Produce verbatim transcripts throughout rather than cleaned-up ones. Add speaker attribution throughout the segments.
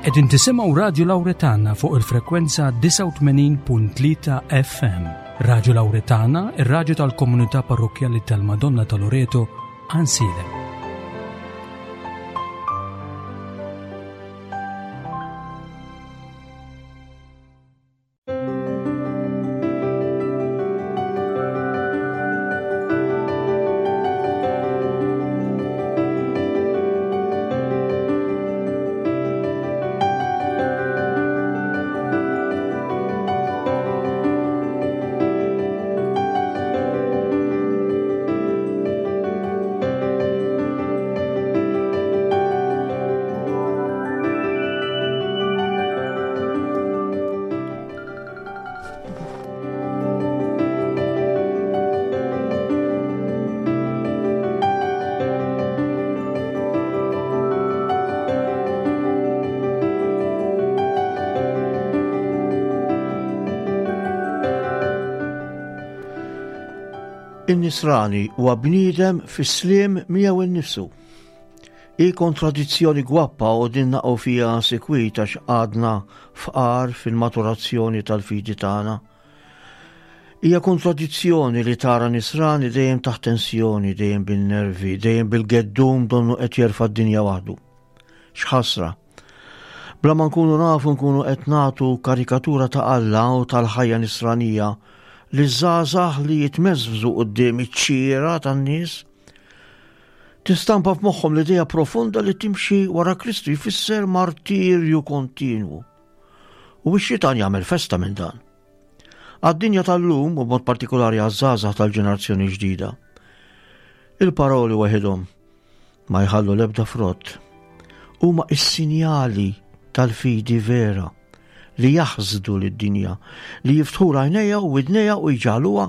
Speaker 1: Qegħdin tisimgħu Radju Lawretana fuq il-frekwenza disgħa u tmenin punt tlieta F M. Radju Lawretana, ir-radju tal-Komunità Parrokkjali tal-Madonna ta' Loreto, Għajnsielem.
Speaker 2: In-nisrani huwa bniedem fis-sliem miegħu innifsu. Hi kontradizzjoni gwappa u din naqgħu fiha sikwit għax għadna fqar fil-maturazzjoni tal-fidi tagħna. Hija kontradizzjoni li tara nisrani dejjem taħt tensjoni, dejjem bil-nervi, dejjem bil-geddum, donnu qed jerfa' d-dinja waħdu. X'ħasra! Bla ma nkunu nafu nkunu qed nagħtu karikatura ta' Alla u tal-ħajja nisranija li żgħażagħ li jitmeżżu quddiem iċ-ċira tan-nies. Tistampa f'moħħhom l-idea profonda li timxi wara Kristu jfisser martirju kontinwu. U x-xitan jagħmel festa minn dan. Għad-dinja tal-lum, u b'mod partikolari għaż-żgħażagħ tal-ġenerazzjoni ġdida, il-paroli waħidhom ma jħallu l-ebda frott. Huma is-sinjali tal-fidi vera li jaħsdu lid-dinja, li jiftħu għajnejha u widnejha u jġagħluha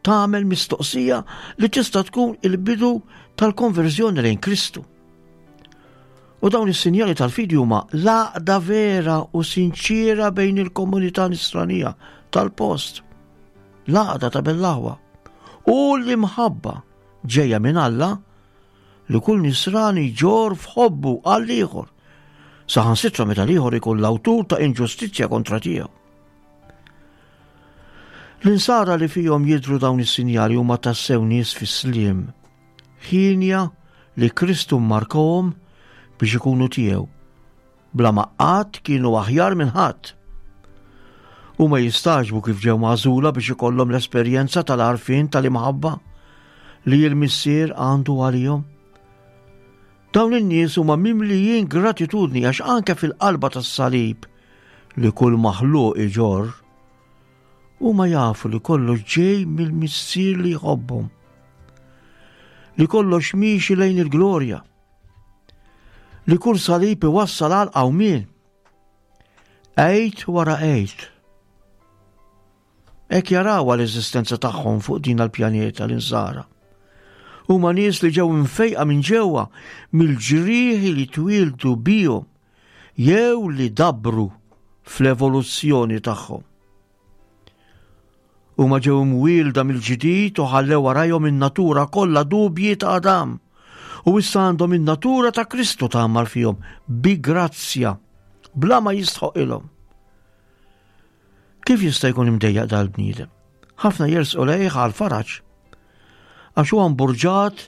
Speaker 2: tagħmel mistoqsija li tista' tkun il-bidu tal-konverżjoni lejn Kristu. U dawn is-sinjali tal-fidi huma l-għaqda vera u sinċira bejn il-komunità nisranija tal-post, l-għaqda ta' bejn l-aħwa u l-imħabba ġejja minn Alla li kull nisrani jġorr f'ħobbu għall-ieħor, saħansitra meta l-ieħor ikun l-awtur ta' inġustizzja kontra tiegħu. L-insara li fihom jidru dawn is-sinjali huma tassew nies fis-sliem, ħienja li Kristu mmarkahom biex ikunu tiegħu, bla ma qatt kienu aħjar minn ħadd. Huma jistagħġbu kif ġew magħżula biex ikollhom l-esperjenza tal-għarfien tal-imħabba li l-Missier għandu għalihom. Dawn in-nies huma mimlijin gratitudni għax anke fil-qalba tas-salib li kull maħluq iġorr, huma jafu li kollox ġej mill-Missier li jħobbhom. Li kollox miexi lejn il-glorja. Li kull salib iwassal għal qawmien. Għid wara Għid. Hekk jaraw l-eżistenza tagħhom fuq din il-pjaneta l-insara. Huma nies li ġew imfejqa minn ġewwa mill-ġrieħi li twildu bihom jew li dabru fl-evoluzzjoni tagħhom. Huma ġew imwielda mill-ġdid u ħallew warajhom in-natura kollha dubji ta' Adam. U issa għandhom in-natura ta' Kristu tgħammar fihom bi grazzja bla ma jistħoqilhom. Kif jista' jkun imdejjaq dal-bniedem? Ħafna jersqu lejh għal faraġ. Għax huwa mburġat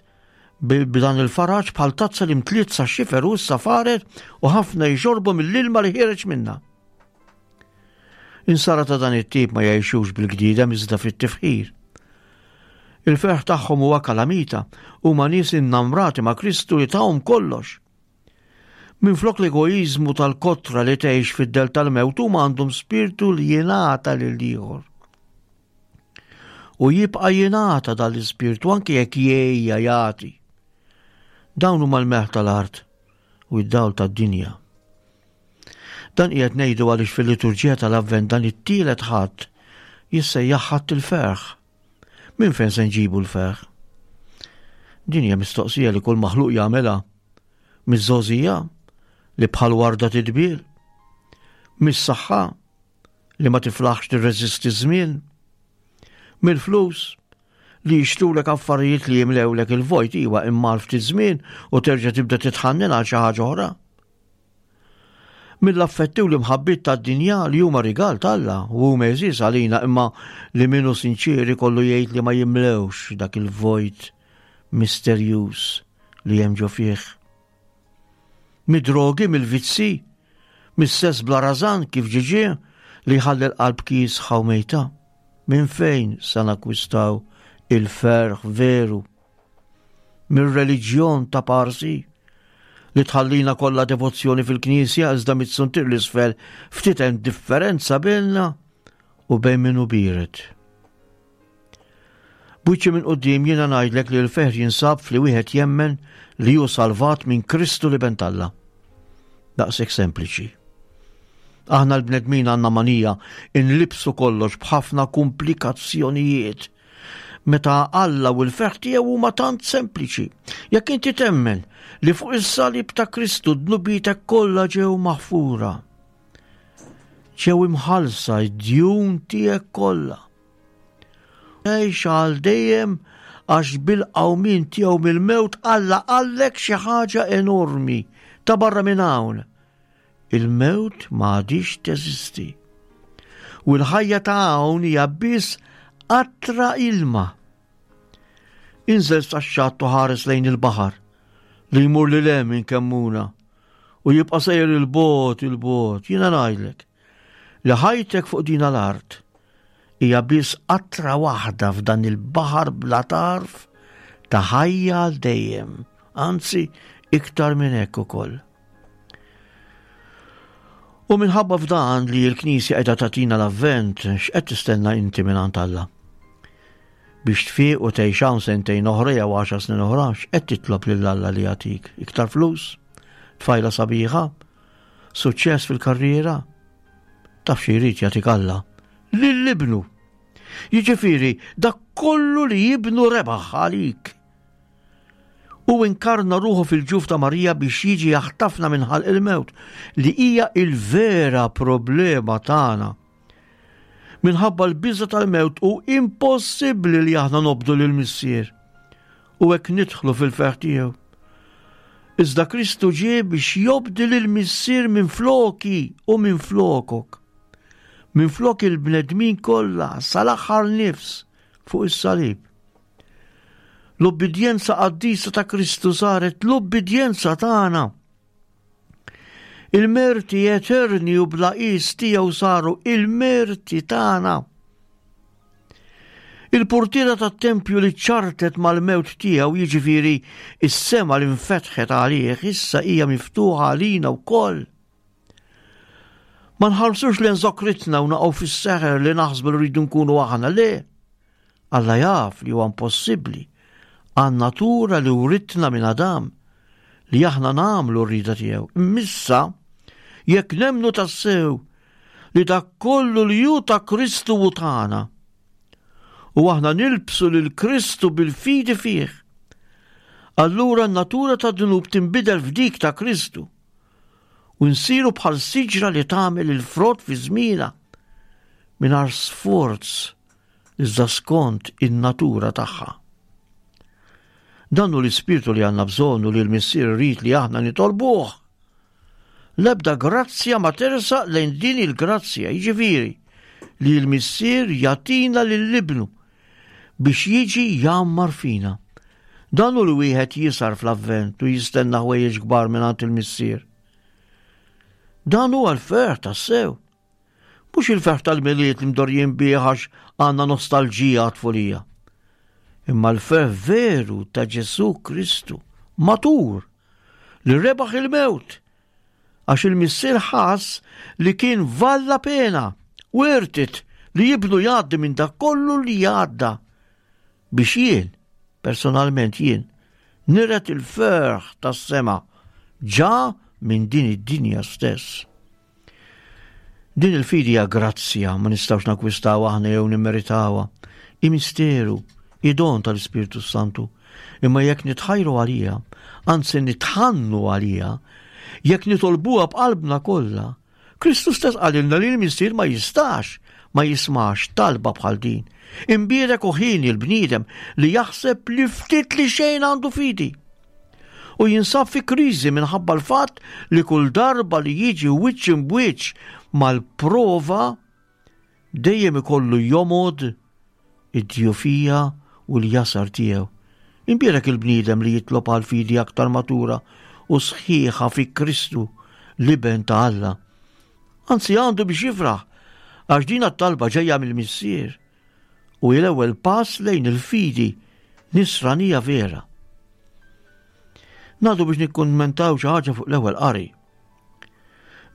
Speaker 2: b'dan il-faraġ bħal tazza li mtliet sa xifer u issa faret u ħafna jxorbu mill-ilma li ħiereġ minna. Insara ta' dan it-tip ma jgħixux bil-gdida iżda fit-tifħir. Il-ferħ tagħhom huwa kalamita, huma nies innamrati ma' Kristu li tahom kollox. Minflok l-egoizmu tal-kotra li tgħix fid-dell tal-mewt, huma għandhom spirtu li jingħata lil ieħor. U jibqa' jingħata dal-ispirtu anke jekk jgħejja jagħti. Dawn huma l-melħ tal-art u d-dawl tad-dinja. Dan qiegħed ngħidu għaliex fil-liturġija tal-Avvent dan it-tielet Ħadd jissejjaħ Ħadd il-Ferħ. Minn fejn se nġibu l-ferħ? Din hija mistoqsija li kull maħluq jagħmilha. Miż-żgħożija li bħal warda tidbil, mis-saħħa li ma tiflaħx tirreżisti żmien, mill-flus li jixtrulek affarijiet li jimlewlek il-vojt, iwa, imma ftit żmien u terġa' tibda titħannen għal xi ħaġa oħra. Mill-affetti u l-imħabbiet tad-dinja li huma rigal t'Alla u huma għeżież għalina, imma li minnu sinċieri kollu jgħid li ma jimlewx dak il-vojt misterjuż li hemm ġo fih. Mid-drogi, mill-vizzi, mis-sess bla rażan kif ġie ġie li jħalli l-qalb kiesħa u mejta. Minn fejn sa nakwistaw il-ferħ veru? Mir-reliġjon ta' parsi li tħallina kollha devozzjoni fil-knisja, iżda mit-suntier l-isfel ftit hemm differenza bejna u bejn min hu biered. B'wiċċi minn quddiem jiena ngħidlek li l-ferħ jinsab fli wieħed jemmen li hu salvat minn Kristu l-Iben t'Alla. Daqshekk sempliċi. Aħna l-bnedmin għandna manija inlibsu kollox b'ħafna komplikazzjonijiet. Meta Alla u l-ferħ tiegħu huma tant sempliċi. Jekk inti temmen li fuq is-salib ta' Kristu dnubietek kollha ġew maħfura, ġew imħallsa d-djun tiegħek kollha. Għix għal dejjem għax bil-qawmien tiegħu mill-mewt Alla qallek xi ħaġa enormi ta' barra minn hawn. Il-mewt ma għadix teżisti. U l-ħajja ta' hawn hija biss qatra ilma. Inżel sax-xatt u ħares lejn il-baħar li jmur lil hemm minn Kemmuna u jibqa' sejjer il-bogħod il-bogħod. Jiena ngħidlek li ħajtek fuq din l-art hija biss qatra waħda f'dan il-baħar bla tarf ta' ħajja għal dejjem, anzi iktar minn hekk ukoll. U minħabba f'dan li l-Knisja qiegħda tagħtina l-Avvent, x'qed tistenna inti minn Alla? Biex tfiq u tgħix hawn sentejn oħra jew għaxar snin oħra, x'qed titlob lil Alla li jagħtik? Iktar flus? Tfajla sabiħa? Suċċess fil-karriera? Taf xi jrid jagħtik Alla? Lil ibnu. Jiġifieri dak kollu li ibnu rebaħ għalik. U inkarna ruħu fil-ġuf ta' Marija biex jiġi jaħtafna minn ħalq il-mewt, li hija il-vera problema tagħna. Minħabba l-biża tal-mewt hu impossibbli li aħna nobdu lil Missier u hekk nidħlu fil-ferħ tiegħu. Iżda Kristu ġie biex jobdi lil Missier minn floki u minn flokok. Minn flok il-bnedmin kollha sal-aħħar nifs fuq is-salib. L-obbedjenza qaddisa ta' Kristu saret l-obbedjenza tagħna. Il-merti eterni u bla qis tiegħu saru il-merti tagħna. Il-portiera tat-tempju li ċartet mal-mewt tiegħu, jiġifieri is-sema li nfetħet għalih, issa hija miftuħa għalina wkoll. Ma nħarsux lejn żokritna u naqgħu fis-seħer li naħsbu li rridu nkunu aħna, le. Alla jaf li huwa impossibbli għan-natura li writna minn Adam li aħna nagħmlu r-rida tiegħu. Imma jekk nemmnu tassew li dak kollu li hu ta' Kristu u tagħna, u aħna nilbsu lil Kristu bil-fidi fih, allura n-natura ta' dnub tinbidel f'dik ta' Kristu u nsiru bħal siġra li tagħmel il-frott fi żmienha mingħajr sforz iżda skont in-natura tagħha. Dan hu l-ispirtu li għandna bżonn u li l-Missier irid li aħna nitolbuh. L-ebda grazzja ma tersaq lejn din il-grazzja, jiġifieri li l-Missier jagħtina lil ibnu biex jiġi jgħammar fina. Dan hu li wieħed jisar fl-Avvent u jistenna ħwejjeġ kbar mingħand il-Missier. Dan huwa l-ferħ tassew. Mhux il-ferħ tal-Milied li mdorrijin bih għax għandna nostalġija għat-tfulija. Imma l-ferħ veru ta' Ġesù Kristu, matur, li rebaħ il-mewt, għax il-Missier ħass li kien valla pena, worth it li ibnu jgħaddi minn dak kollu li jgħadda biex jien, personalment jien, niret il-ferħ tas-sema ġa minn din id-dinja stess. Din il-fidi hija grazzja, ma nistgħux nakkwistaw aħna jew nimmeritawha. Hi misteru, hi don tal-Ispirtu Santu. Imma jekk nitħajru għalija, anzi nitħannu għalija, jekk nitolbuha b'qalbna kollha, Kristu stess qalilna li l-Missier ma jistax ma jismax talba bħal din. Imbierek u ħieni l-bniedem li jaħseb li ftit li xejn għandu fidi. U jinsab fi kriżi minħabba l-fatt li kull darba li jiġi wiċċ imbwiċċ mal-prova dejjem ikollu jomod id-djufija u l-jasar tiegħu. Imbierek il-bniedem li jitlob għal fidi aktar matura u sħiħa fi Kristu l-Iben ta' Alla. Anzi għandu biex jifraħ għax din it-talba ġejja mill-Missier u l-ewwel pass lejn il-fidi nisranija vera. Ngħaddu biex nikkummentaw xi ħaġa fuq l-ewwel qari.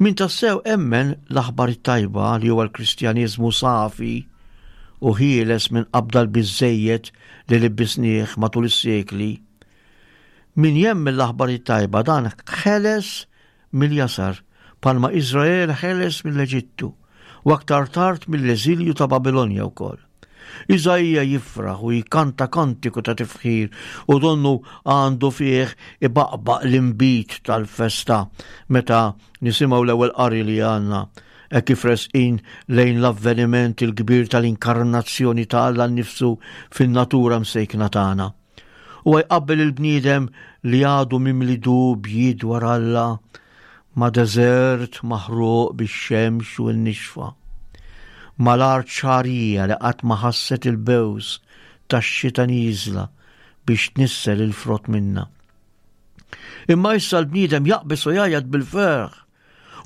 Speaker 2: Min tassew emmen l-aħbar it-tajba li huwa l-Kristjaniżmu safi u ħieles minn qabda l-biżejjed li libbisnieh matul is-sekli. Min jemmen l-aħbar it-tajba dan ħeles mill-jasar bħalma Iżrael ħeles mill-Eġittu u aktar tard mill-eżilju ta' Babilonja wkoll. Iżaija jifraħ u jkanta kantiku ta' tifħir u donnu għandu fih ibaqbaq l-imbit tal-festa meta nisimgħu l-ewwel qari li għandna hekk kif resqin lejn l-avveniment il-kbir tal-inkarnazzjoni ta' Alla nnifsu fin-natura msejkna tagħna. U jqabbel il-bniedem li għadu mimli dubji dwar Alla ma' deżert maħruq bix-xemx u n-nixfa. Mal-art xagħrija li qatt ma ħasset il-bews tax-xita nieżla biex tnissel il-frott minna. Imma issa l-bniedem jaqbes u jgħajjat bil-ferħ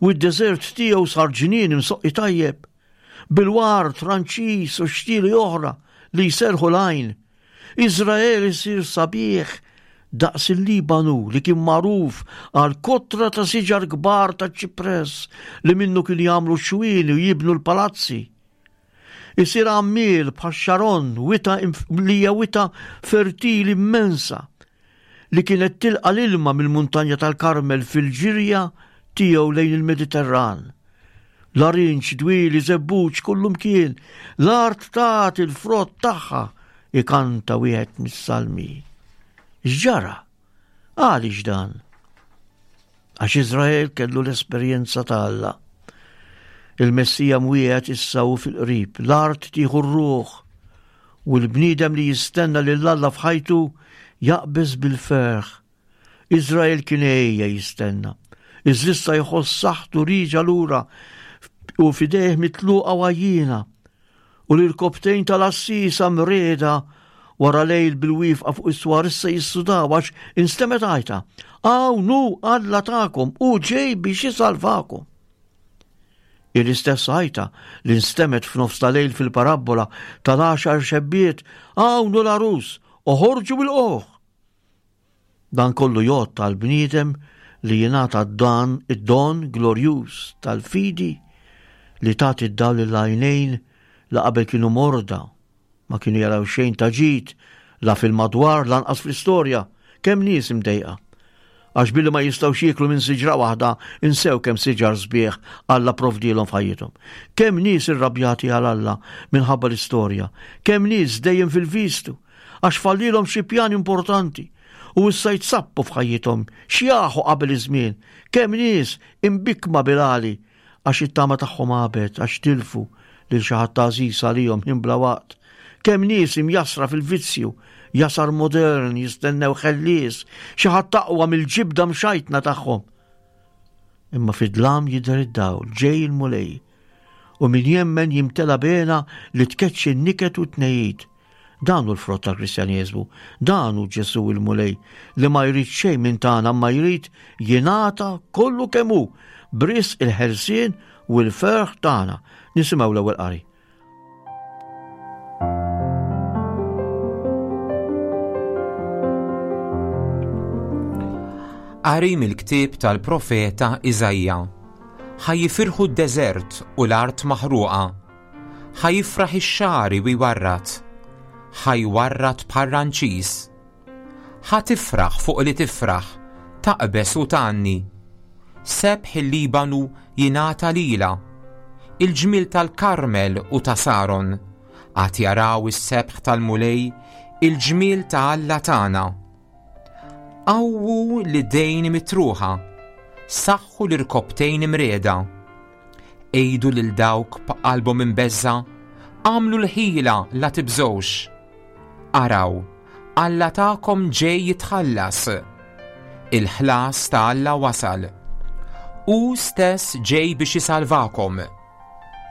Speaker 2: u d-deżert tiegħu sar ġnien imsoqqi tajjeb bil-ward Franċiż u xtieli oħra li jserħu l-għajn. Iżrael isir sabiħ daqs il-Libanu li kien magħruf għal kotra ta' siġar kbar ta' ċipress li minnu kien jagħmlu xwieni u jibnu l-palazzi. Isir għammiel bħal Xaron, wita li hija wita fertili immensa li kienet tilqa l-ilma mill-muntanja tal-Karmel fil-ġirja tiegħu lejn il-Mediterran. Larinġ, dwieli, żebbuġ, kullumkien, l-art tagħti il-frott tagħha ikanta wieħed mis-salmi. X'ġara? Għaliex dan? Għax Iżrael kellu l-esperjenza ta' Alla. Il-Messija mwiegħed issa hu fil-qrib, l-art tieħu r-ruħ u l-bniedem li jistenna lil Alla f'ħajtu jaqbeż bil-ferħ. Iżrael kien ejja jistenna. Iżda jħoss saħħtu riġa lura u f'idejh mitluqa għajjiena u l-irkopptejn tal-għassiesa mriegħda wara lejl bil-wieqfa fuq is-swar issa jissudaw għax instemgħet għajta. Hawn hu Alla tagħkom u ġej biex jisalvakom. Il-istess għajta li nstemgħet f'nofs ta' lejl fil-parabbola tal-għaxar xebbiet, hawn hu l-għarus, oħorġu bil-qoħ. Dan kollu jgħodd għall-bniedem li jingħata dan id-don glorjuż tal-fidi li tagħti d-dawl lill-għajnejn li qabel kienu morda, ma kienu jaraw xejn ta' ġid, la fil-madwar lanqas fl-istorja, kemm nies imdejqa. Għax billi ma jistgħux jieklu minn siġra waħda, insew kemm siġar sbieħ Alla provdilhom f'ħajjithom. Kemm nies irrabjati għal Alla minħabba l-istorja, kemm nies dejjem fil-vistu, għax fallilhom xi pjan importanti u issa jitsappu f'ħajjithom, xjaħu qabel iż-żmien, kemm nies imbikkma bil-għali għax it-tama tagħhom għabet, għax tilfu lil xi ħadd għażiż għalihom ħin bla waqt. Kemm nies imjassra fil-vizzju, jasar modern, jistennew ħellies, xi ħadd aqwa mill-ġibda mxajtna tagħhom. Imma fid-dlam jidher id-dawl, ġej il-Mulej, u min jemmen jimtela bena li tkeċċi n-niket u t-tnejjid. Dan hu l-frott tal-Kristjaneżmu, dan hu Ġesù il-Mulej li ma jrid xejn minn tagħna ma jrid jingħata kollu kemm hu b'risq il-ħelsien u l-ferħ tagħna. Nisimgħu l-ewwel qari.
Speaker 3: Qari mill-ktieb tal-profeta Iżaija. Ħa jifirħu d-deżert u l-art maħruqa. Ħa jifraħ ix-xagħri u jwarrad. Ħa jwarrad bħal ranċiż. Ħa tifraħ fuq li tifraħ, taqbeż u tgħanni. Sebħ il-Libanu jingħata lila, il-ġmiel tal-Karmel u ta' Saron, għad jaraw is-sebħ tal-Mulej, il-ġmiel ta' Alla tagħna. Qawwu l-idejn mitruħa, saħħu l-irkopptejn imriegħda. Għidu lil dawk b'qalbhom imbeżża, għamlu l-ħila la tibżgħux. Araw, Alla tagħkom ġej jitħallas. Il-ħlas ta' Alla wasal. Hu stess ġej biex isalvakom.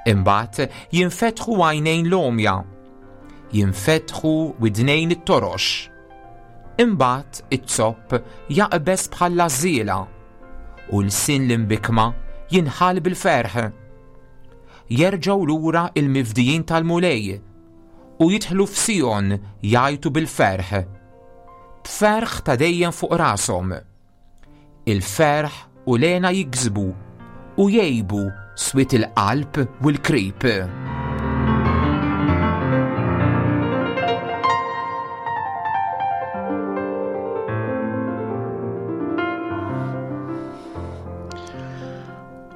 Speaker 3: Imbagħad jinfetħu għajnejn l-għomja, jinfetħu widnejn it-torox. Imbagħad it-zopp jaqbeż bħall-għażżiela u lsien l-imbikkma jinħall bil-ferħ. Jerġgħu lura il-mifdijin tal-Mulej u jidħlu f'Sijon jgħajtu bil-ferħ. B'ferħ ta' dejjem fuq rashom. Il-ferħ u l-hena jiksbu u jgħibu swied il-qalb u l-krib.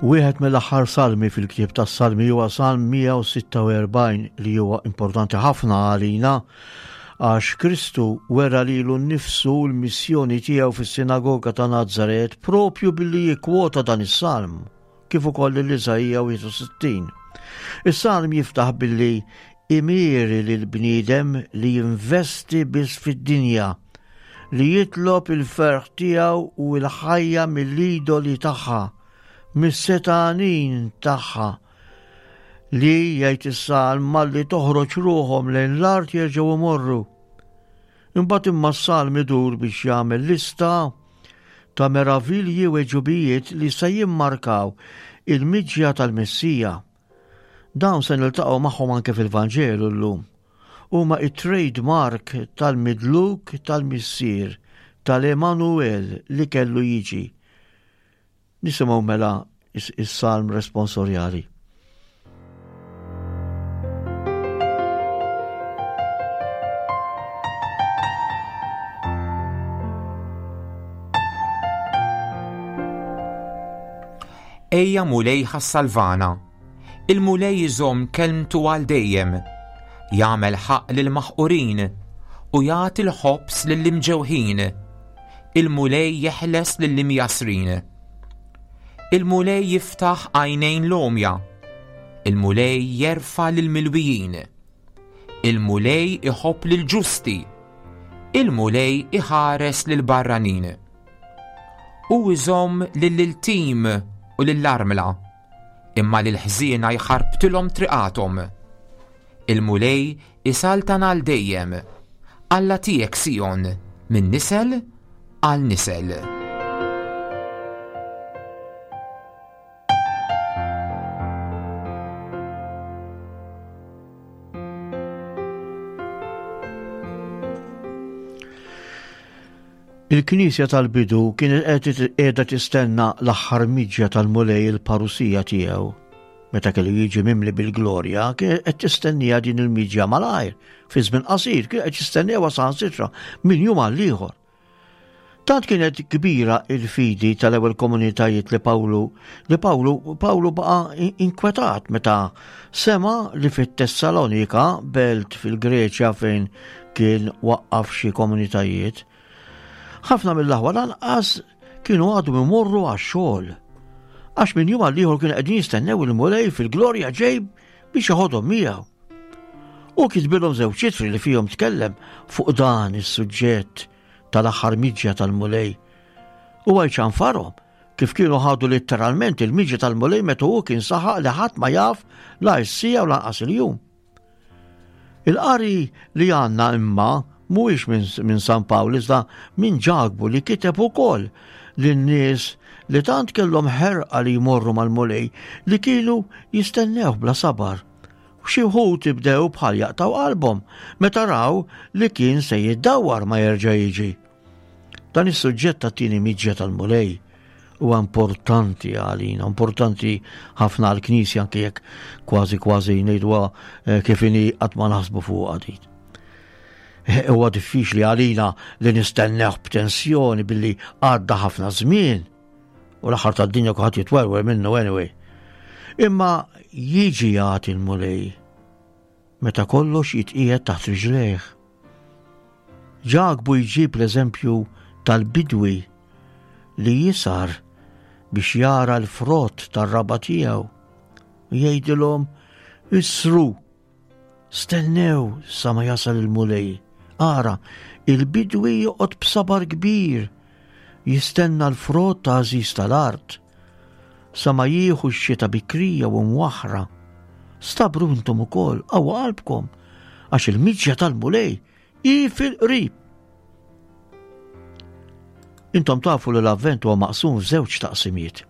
Speaker 2: Wieħed mill-aħħar salmi fil-ktieb tas-Salmi huwa Salm mija u sitta u erbgħin li huwa importanti ħafna għalina għax Kristu wera lilu nnifsu l-missjoni tiegħu fis-sinagoga ta' Nazaret propju billi jikkwota dan is-salm, kif ukoll lil Iżaija wieħed u sittin. Is-salm jiftaħ billi imieri lil bniedem li jinvesti biss fid-dinja, li jitlob il-ferħ tiegħu u l-ħajja mill-idoli tagħha, mis-setanin tagħha, li jgħid is-salm malli toħroġ ruħhom lejn l-art jerġgħu imorru. Imbagħad imma s-salm idur biex jagħmel lista ta' meravilji u għeġubijiet li se jimmarkaw il-miġja tal-Messija. Dawn se niltaqgħu magħhom anke fil-Vanġelu llum. Huma it-trademark tal-midluk tal-Missier tal-Emanuel li kellu jiġi. Nisimgħu mela is-, is-salm responsorjali.
Speaker 3: Ejja Mulej ħassalvana. Il-Mulej iżomm kelmtu għal dejjem. Jagħmel ħaqq lill-maħqurin u jagħti l-ħobż lill-imġewħin. Il-Mulej jeħles lill-imjasrin. Il-Mulej jiftaħ għajnejn l-għomja. Il-Mulej jerfa' lill-milwijin. Il-Mulej iħobb lill-ġusti. Il-Mulej iħares lill-barranin. U iżomm lill-iltim u lill-armla, imma lill-ħżiena jħarbtilhom triqathom. Il-Mulej isaltan għal dejjem, Alla tiegħek Sijon, minn nisel għal nisel.
Speaker 2: Il-Knisja tal-bidu kienet qed qiegħda tistenna l-aħħar miġja tal-Mulej il-parusija tiegħu. Meta kellu jiġi mimli bil-glorja, kienet qed tistennija din il-miġja malajr, fi żmien qasir, kienet qed tistennija saħansitra minn jum għal ieħor. Tant kienet kbira il-fidi tal-ewwel komunitajiet li Pawlu, li Pawlu, Pawlu baqa' inkwetat meta sema li fit-Tessalonika, belt fil-Greċja fejn kien waqqaf xi komunitajiet, ħafna mill-aħwa lanqas kienu għadhom imorru għax-xogħol. Għax minn jum għal ieħor kienu qegħdin jistennew il-Mulej fil-glorja ġej biex joħodhom miegħu. U kitbilhom żewġ ittri li fihom tkellem fuq dan is-suġġett tal-aħħar miġja tal-Mulej. U għajċanfarhom kif kienu ħadu letteralment il-miġja tal-Mulej meta hu kien saħaq li ħadd ma jaf la s-sija u lanqas il-jum. Il-qari li għandna imma mhuwiex minn, minn San Pawl iżda minn Ġakbu li kiteb ukoll lin-nies li tant kellhom ħerqa li jmorru mal-Mulej li kienu jistennew bla sabar. U xi wħud ibdew bħal jaqtaw qalbhom meta raw li kien se jiddawwar ma jerġa' jiġi. Dan is-suġġett tat-tieni miġja tal-Mulej huwa importanti għalina, importanti ħafna għall-Knisja anke jekk kważi kważi ngħiduha, eh, kif inhi qatt ma naħsbu fuqha din. Huwa diffiċli għalina li nistennew b'tensjoni billi għadda ħafna żmien u l-aħħar tad-dinja kulħadd jitwerwer minnu anyway. Imma jiġi jagħti l-Mulej meta kollox jitqiegħed taħt riġlejh. Ġakbu jġib l-eżempju tal-bidwi li jisar biex jara l-frott tar-raba tiegħu. Jgħidilhom isru, stennew sa ma jasal il-Mulej. Ara, il-bidwi joqgħod b'sabar kbir, jistenna l-frott ta' għażiż tal-art, sa ma jieħu x-xita bikrija u mwaħra. Stabru intom ukoll, qawwu qalbkom, għax il-miġja tal-Mulej hi fil-qrib. Intom tafu li l-Avvent huwa maqsum f'żewġ taqsimiet.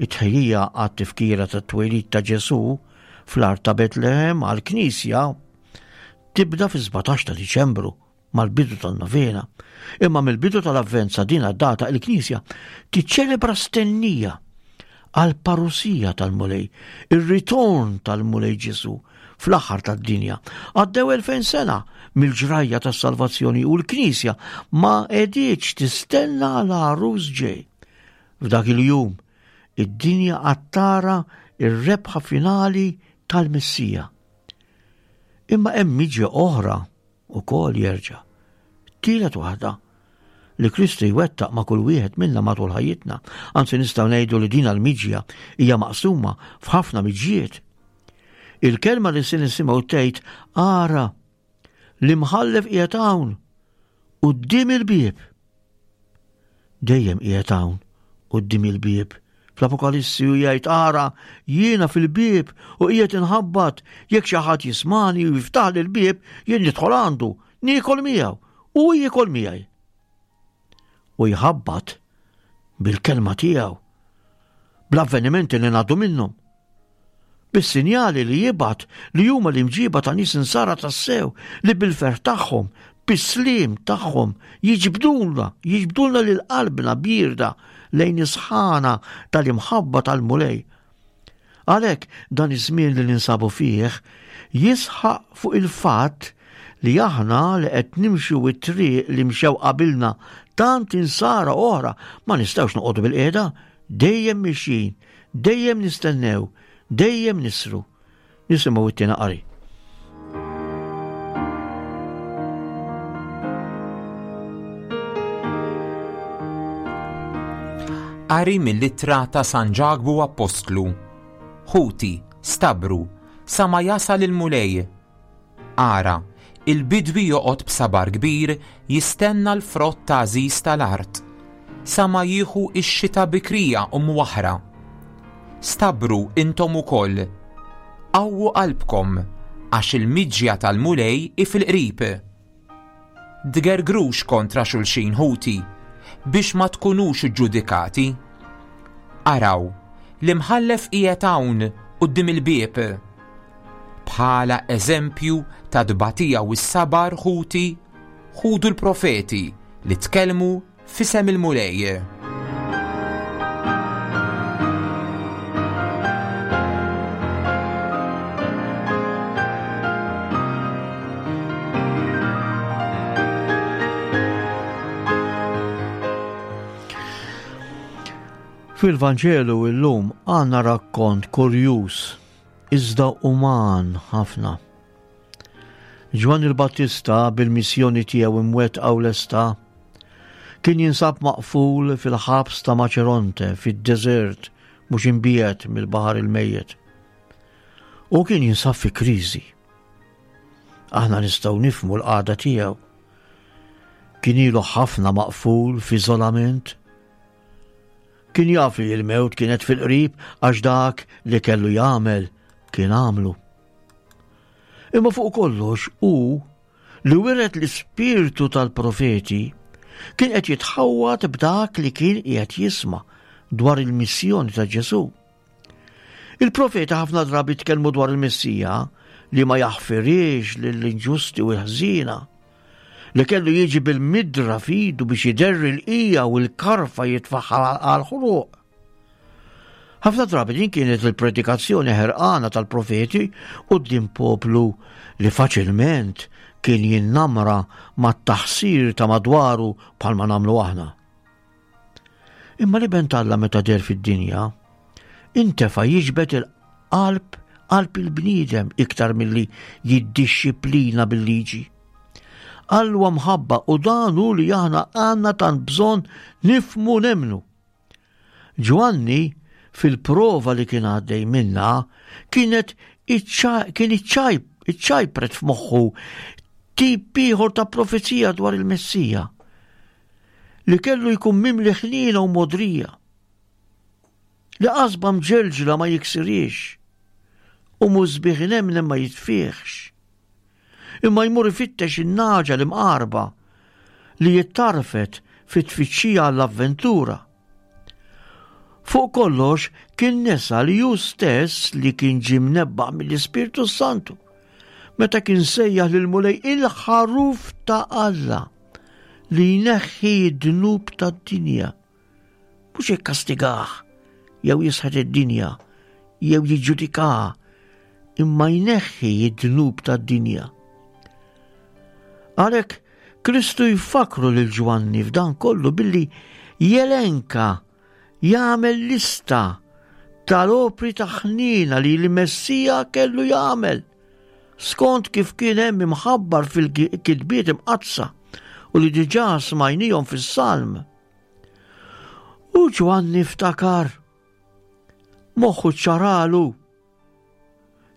Speaker 2: It-tħejjija għat-tifkira tat-twelid ta' Ġesù fl-art ta' Betlehem għall-Knisja tibda fi sbatax ta' Diċembru mal-bidu tan-novena. Imma mill-bidu tal-Avvent sa din data il-Knisja tiċċelebra stennija għal parusija tal-Mulej, ir-ritorn tal-Mulej Ġesù fl-aħħar tad-dinja. Għaddew elfejn sena mill-ġrajja tas-salvazzjoni u l-Knisja ma qegħditx tistenna l-għarus ġej. F'dak il-jum, id-dinja għad tara ir-rebħa finali tal-Messija. Imma hemm miġja oħra ukoll jerġa'. Tielet waħda li Kristu jwettaq ma' kull wieħed minna matul ħajjitna. Anzi nistgħu ngħidu li din l-miġja hija maqsuma f'ħafna miġjiet. Il-kelma li se nisimgħu tgħid ara l-imħallef qiegħed hawn quddiem il-bieb. Dejjem qiegħed hawn quddiem il-bieb. Fl-Apokalissi u jgħid ara jiena fil-bieb u qiegħed inħabbat jekk xi ħadd jismani u jiftaħ l-bieb jien nidħol għandu, niekol miegħu u jiekol miegħi. U jħabbat bil-kelma tiegħu, bl-avvenimenti li ngħaddu minnhom, bis-sinjali li jibgħat li huma l-imġiba ta' nies insara tassew li bil-ferħ tagħhom, bis-sliem tagħhom jiġbdulna, jiġbdulna lil qalbna bierda lejn is-sħana tal-imħabba tal-Mulej. Għalhekk dan iż-żmien li ninsabu fih jisħaq fuq il-fatt li aħna li qed nimxu it-triq li mxew qabilna tant insara oħra ma nistgħux noqogħdu bil-qiegħda, dejjem mixjin, dejjem nistennew, dejjem nisru. Nisimgħu it-tieni qari.
Speaker 3: Qari mill-ittra ta' San Ġakbu Appostlu. Ħuti, stabru, sa ma jasal il-Mulej. Ara, il-bidwi joqgħod b'sabar kbir jistenna l-frott ta' għażiż tal-art, sa ma jieħu x-xita bikrija u mwaħra. Stabru intom ukoll. Qawwu qalbkom, għax il-miġja tal-Mulej hi fil-qrib. Tgergrux kontra xulxin ħuti, biex ma tkunux ġudikati. Araw, l-imħallef qiegħed hawn quddiem il-bieb. Bħala eżempju ta' tbatija u s-sabar ħuti, ħudu l-profeti li tkellmu f'isem il-Mulej.
Speaker 2: Fil-Vanġelu illum għandna rakkont kurjuż, iżda uman ħafna. Ġwanni l-Battista bil-missjoni tiegħu imwettqa u lesta kien jinsab maqful fil-ħabs ta' Maċeronte fid-deżert mhux imbiegħed mill-Baħar il-Mejjet. U kien jinsab fi kriżi. Aħna nistgħu nifhmu l-qagħda tiegħu. Kien ilu ħafna maqful f'iżolament. Kien jaf li l-mewt kienet fil-qrib għax dak li kellu jagħmel kien għamlu. Imma fuq kollox hu li wiret l-ispirtu tal-profeti kien qed jitħawwad b'dak li kien qiegħed jisma' dwar il-missjoni ta' Ġesù. Il-profeti ħafna drabi tkellmu dwar il-Messija li ma jaħfirix lill-inġusti u l-ħżiena, li kellu jiġi bil-midra f'idu biex iderri l-qija u l-karfa jitfaħħa għal-ħruq. Ħafna drabi din kienet il-predikazzjoni ħerqana tal-profeti quddiem poplu li faċilment kien jinnamra mat-taħsir ta' madwaru bħalma nagħmlu aħna. Imma l-Iben t'Alla meta deher fid-dinja, intefa' jiġbed il-qalb qalb il-bniedem iktar milli jiddixxiplina bil-liġi. Alla mħabba u dan hu li aħna għandna tant bżonn nifhmu nemmnu. Ġwanni fil-prova li kien għaddej minna kienet kien iċċajpret f'moħħu tip ieħor ta' profezija dwar il-Messija. li kellu jkun mimli ħniena u mogħdrija, li qasba mġelġla ma jiksirhiex u musbieħ inemnem ma jitfihx, imma jmur ifittex in-nagħġa l-imqarba li jittarfet fit-tfittxija għall-avventura. Fuq kollox kien nesa li hu stess li kien ġie mnebbaħ mill-Ispirtu Santu meta kien sejjaħ lill-Mulej il-ħaruf ta' Alla li jneħħi d-dnub tad-dinja. Mhux jikkastigah jew jisħet id-dinja jew jiġġudikaha, imma jneħħi d-dnub tad-dinja. Għalhekk Kristu jfakru lil Ġwanni f'dan kollu billi jelenka, jagħmel lista tal-opri ta' ħniena li l-Messija kellu jagħmel skont kif kien hemm imħabbar fil-kitbiet imqaddsa u li diġà smajnihom fis-Salm. U Ġwanni ftakar, moħħu ċaralu.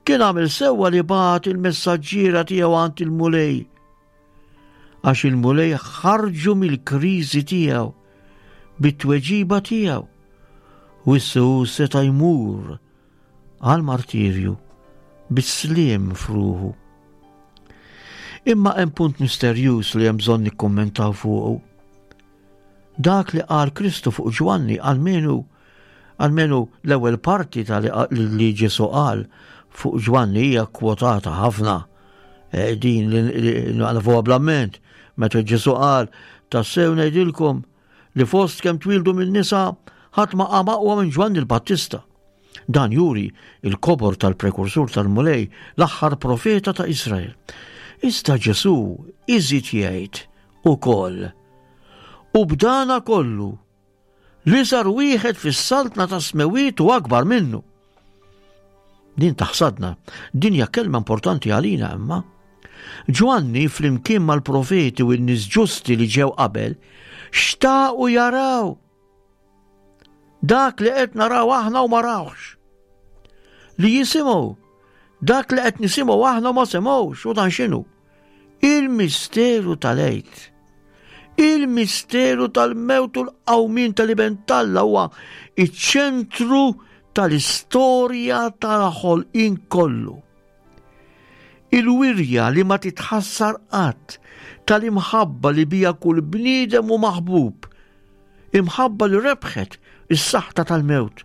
Speaker 2: Kien għamel sewwa li bagħat il-messaġġiera tiegħu għand il-Mulej, għax il-Mulej ħarġu mill-kriżi tiegħu bit-tweġiba tiegħu, u issa hu seta' jmur għal-martirju bis-sliem f'ruħu. Imma hemm punt misterjuż li hemm bżonn nikkummentaw fuqu. Dak li qal Kristu fuq Ġwanni, almenu almenu l-ewwel parti ta' li Ġesù qal fuq Ġwanni hija kwotata ħafna. E, din li nafuha bl-amment, meta Ġesù qal tassew ngħidilkom li fost kemm twildu minn nisa ħadd ma qam aqwa minn Ġwanni l-Battista. Dan juri il-kobor tal-prekursur tal-Mulej, l-aħħar profeta ta' Israel. Iżda Ġesù iżid jgħid ukoll, u b'dana kollu li sar wieħed fis-saltna ta' smewiet u akbar minnu. Din taħsadna, din hija kelma importanti għalina imma. Ġwanni flimkien mal-profeti u n-nies ġusti li ġew qabel xtaqu jaraw dak li qed naraw aħna u ma rawx, li jisimgħu dak li qed nisimgħu aħna u ma semgħux. U dan x'inhu? Il-misteru tal-Għid, il-misteru tal-mewt u l-qawmien tal-Iben t'Alla huwa iċ-ċentru tal-istorja tal-ħolqien kollu. Il-wirja li ma titħassar qatt tal-imħabba li bija kull bniedem u maħbub, imħabba li rebħet is-saħta tal-mewt.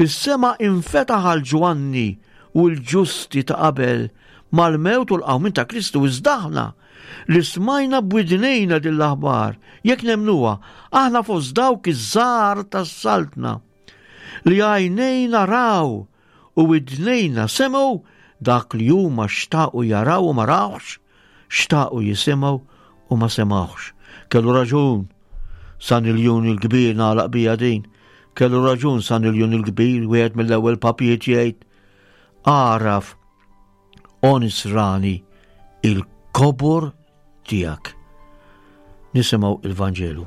Speaker 2: Is-sema infetaħ għal Ġwanni u l-ġusti ta' qabel mal-mewt u l-qawmien ta' Kristu, iżda aħna li smajna b'widnejna din l-aħbar, jekk nemnuha, aħna fost dawk iż-żgħar tas-saltna li għajnejna raw u widnejna semgħu dak li huma xtaqu jaraw u ma rawx, xtaqu jisimgħu u ma semgħux. Kellu raġun San Iljun il-Kbir, nagħlaq bija din. Kellu raġun San Iljun il-Kbir, wieħed mill-ewwel papijiet jgħid, għaraf o nisrani il-kobor tiegħek. Nisimgħu il-Vanġelu.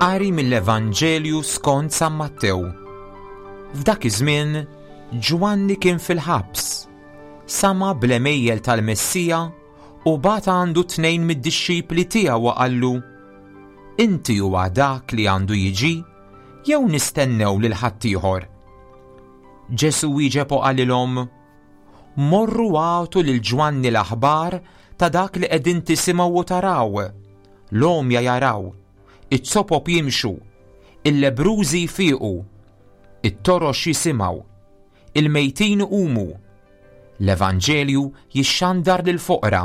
Speaker 3: Qari mill-Evanġelju skont San Mattew. F'dak iż-żmien Ġwanni kien fil-ħabs, sama bl-għemejjel tal-Messija u bagħat għandu tnejn mid-dixxipli tiegħu u qallu: Inti huwa dak li għandu jiġi, jew nistennew lil ħaddieħor? Ġesù wieġeb u qalilhom: Morru għatu lil Ġwanni l-aħbar ta' dak li qegħdin tisimgħu u taraw. L-għomja jaraw, it-sopop jimxu, il-lebrużi jfiqu, it-torox jisimgħu, il-mejtin iqumu, l-Evanġelju jixxandar lill-foqra.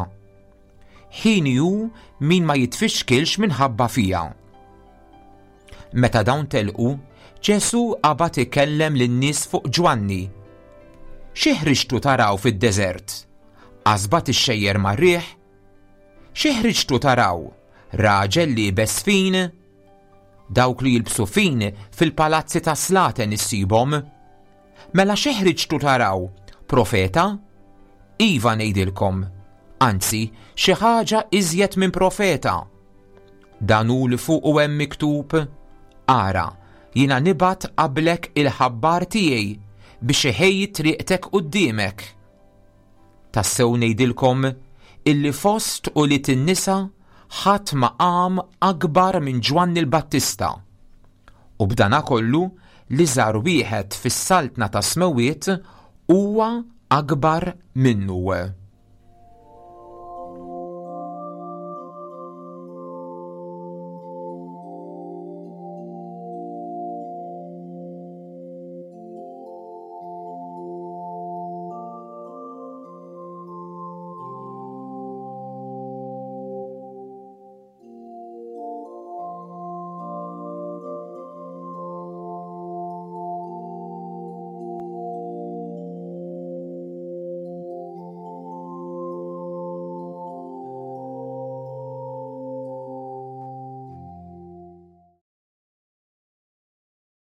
Speaker 3: Ħin hu min ma jitfixkilx minħabba fija. Meta dawn telqu, Ġesù qabad ikellem lin-nies fuq Ġwanni. Xi ħriġtu taraw fid-deżert? Qasba tixxejjer mar-riħ? Xi ħriġtu taraw? Raġel liebes fin? Dawk li jilbsu fin fil-palazzi ta' slaten issibhom. Mela xi ħriġtu taraw? Profeta? Iva ngħidilkom, anzi xi ħaġa iżjed minn profeta. Dan hu li fuqu hemm miktub: Ara, jiena nibgħat qablek il-ħabbar tiegħi biex iħejji triqtek quddiemek. Tassew ngħidilkom illi fost ulied in-nisa ħadd ma qam akbar minn Ġwanni l-Battista. U b'dana kollu l-iżgħar wieħed fis-saltna tas-smewwiet huwa akbar minnu.